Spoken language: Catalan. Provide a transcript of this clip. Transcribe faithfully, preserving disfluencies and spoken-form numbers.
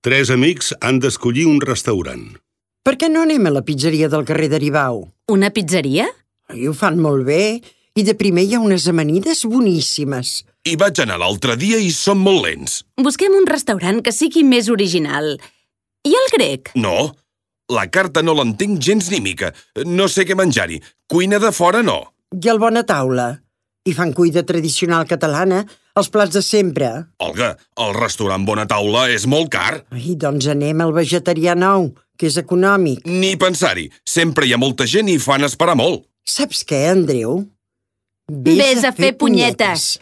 Tres amics han d'escollir un restaurant. Per què no anem a la pizzeria del carrer d'Aribau? Una pizzeria? I ho fan molt bé. I de primer hi ha unes amanides boníssimes. Hi vaig anar l'altre dia i són molt lents. Busquem un restaurant que sigui més original. I el grec? No, la carta no l'entenc gens ni mica. No sé què menjar-hi. Cuina de fora no. I el Bona Taula? Hi fan cuina tradicional catalana, els plats de sempre. Olga, el restaurant Bona Taula és molt car. Ai, doncs anem al vegetarià nou, que és econòmic. Ni pensar-hi. Sempre hi ha molta gent i fan esperar molt. Saps què, Andreu? Vés a fer punyetes.